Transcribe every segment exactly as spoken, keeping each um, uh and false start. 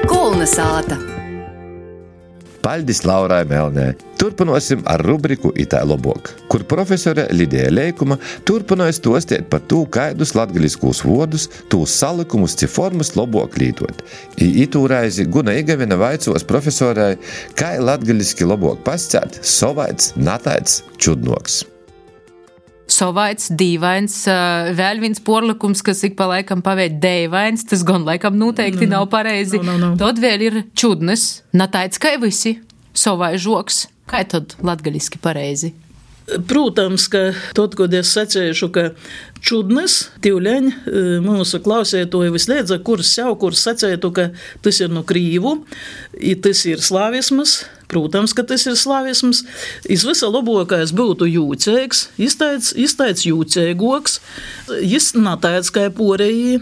Kolna sāta. Paļdis Laurai Melnē. Turpinosim ar rubriku Itā lobok, kur profesore Lidija Leikuma turpinoja stostēt par tū, kaidus latgaliskūs vodus, tūs salikumus, ci formas lobok lītot. I itū reizi Guna Igavina vaicos profesorai, kai latgaliski lobok pascēt, sovaits, nataits, čudnoks. Sovaits, dīvains, vēl viens porlikums, kas ik pa laikam pavēd deivains, tas gan laikam noteikti no, nav pareizi. No, no, no. Tad vēl ir čudnes, nataits kai visi, sovai žoks. Kai tad latgaliski pareizi? Protams, ka tad, kad es sacēšu, ka čudnes, tīvleņ, mūsu klausētoji visliedza, kurs jau, kurs sacētu, ka tas ir no krīvu, i tas ir slavismas. Protams, ka tas ir slavisms. Iz visa labokais būtu jūceigs, izteic, izteic jūceigoks, jis nataic kai porejī.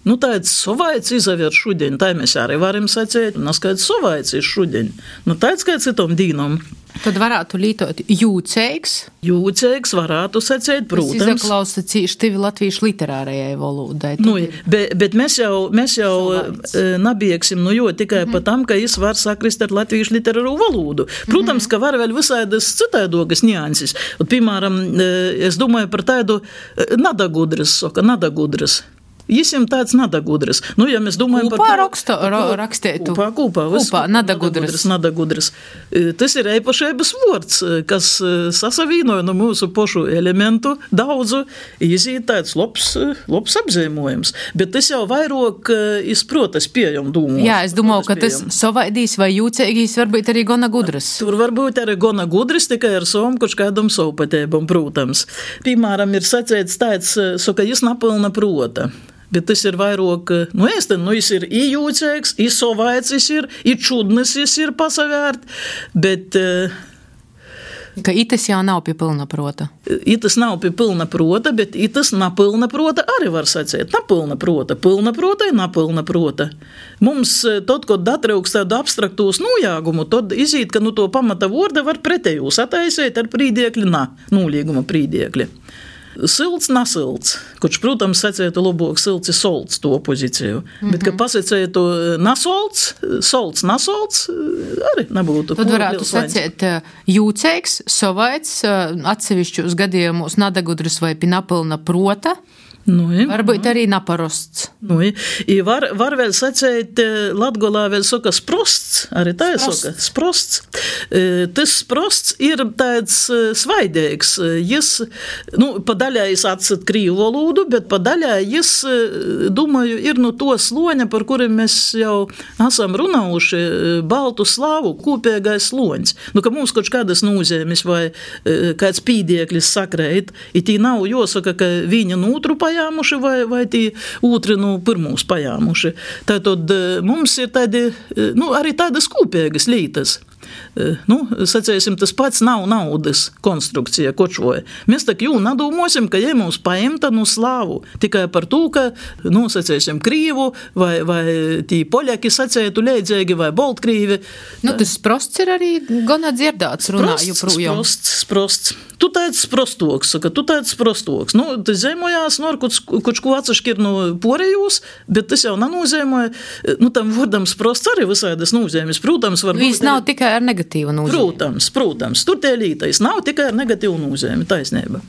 Nu, tāds sovaits izaver šudeņ, tā mēs arī varam sacēt, un skaidrs sovaits ir šudeņ. Nu, tāds kā citom dīnom. Tad varētu lītot jūceigs. Jūceigs varētu sacēt, protams. Tas izaklausa cīši tivi latviešu literārajai valodai. Nu, bet, bet mēs jau, mēs jau nabieksim, nu jo tikai mm-hmm. pa tam, ka jis var sakrist ar latviešu literāru valodu. Protams, mm-hmm. ka var vēl visādas citaidogas nianses. Un, piemēram, es domāju par tādu nadagudras, soka, nadagudras. Jis jam tāds nadagudras. Nu, ja mēs domājam kūpā par... raksto, ra, rakstētu. Kūpā, kūpā. Vis, kūpā, nadagudras. Nadagudras. Tas ir eipašaibas vords, kas sasavīnoja no mūsu pošu elementu daudzu. Izīt tāds labs, labs apzīmojums. Bet tas jau vairāk izprotas pieejam dūmos. Jā, es domāju, ka tas sovaidīs vai jūceigīs varbūt arī gona gudras. Tur varbūt arī gona gudras, tikai ar savam kaut kādam savpatēbam, protams. Piemēram, ir sacēts tāds, so, ka jis napilna prota. Bet tas ir vairāk, nu, es te, nu, jis ir i jūceigs, i sovaits jis ir, i čudnis jis ir pasavērt, bet... Ka itas jau nav pie pilna prota. Itas nav pie pilna prota, bet itas napilna prota arī var sacēt. Napilna prota, pilna prota ir napilna prota. Mums, tad, kad atrauks tādu abstraktūs nojāgumu, tad izīt, ka nu to pamata vorda var pretējūs ataisēt ar prīdiekļu na, nolīguma prīdiekļi. Silts, nasilts, kurš, protams, sacētu labāk silts ir solts to opozīciju, mm-hmm. bet, ka pasacētu nasolts, solts, nasolts, arī nebūtu. Tad varētu sacēt jūceigs, sovaits, atsevišķos gadījumos nadagudras vai pinapilna prota, Nu, ja, varbūt arī naparosts. Nu, ja. var, var vēl sacēt, Latgolā vēl saka sprosts, arī tā ir saka, sprosts. Tas sprosts ir tāds svaidīgs. Jis, nu, pa daļā jis atsat krīvu valodu, bet pa daļā jis, domāju, ir no to sloņa, par kuriem mēs jau esam runājuši, baltu slāvu, kopīgais sloņs. Nu, ka mums kaut kādas nozīmes vai kāds pīdieklis sakrēt, i tī nav jāsaka, ka viņa nūtru pajāmuši vai, vai tī ūtri nu pirmūs pajāmuši. Tātad mums ir tādi, nu, arī tādas kopīgas lītas. Nu, sacēsim, tas pats nav naudas konstrukcija kočoja. Mēs tak jū nadomāsim, ka ja mums paimta nu slāvu, tikai par to, ka, nu, sacēsim, krīvu vai, vai tī poļaki sacētu leidzēgi vai boltkrīvi. Nu, tas sprosts ir arī gana dzirdāts runāju projām. Sprosts, sprosts. Tu tāds sprostoks, saka, tu tāds sprostoks. Nu, tas zemojās, nu, ar koč ko atsaškir no porejūs, bet tas jau nanūzēmoja, nu, tam vordam sprosts arī visādas nūzēmis. Protams, var... Viss nav tikai ar negatīvu nozīmi. Protams, protams. Tur tie lītais nav tikai ar negatīvu nozīmi, taisnība.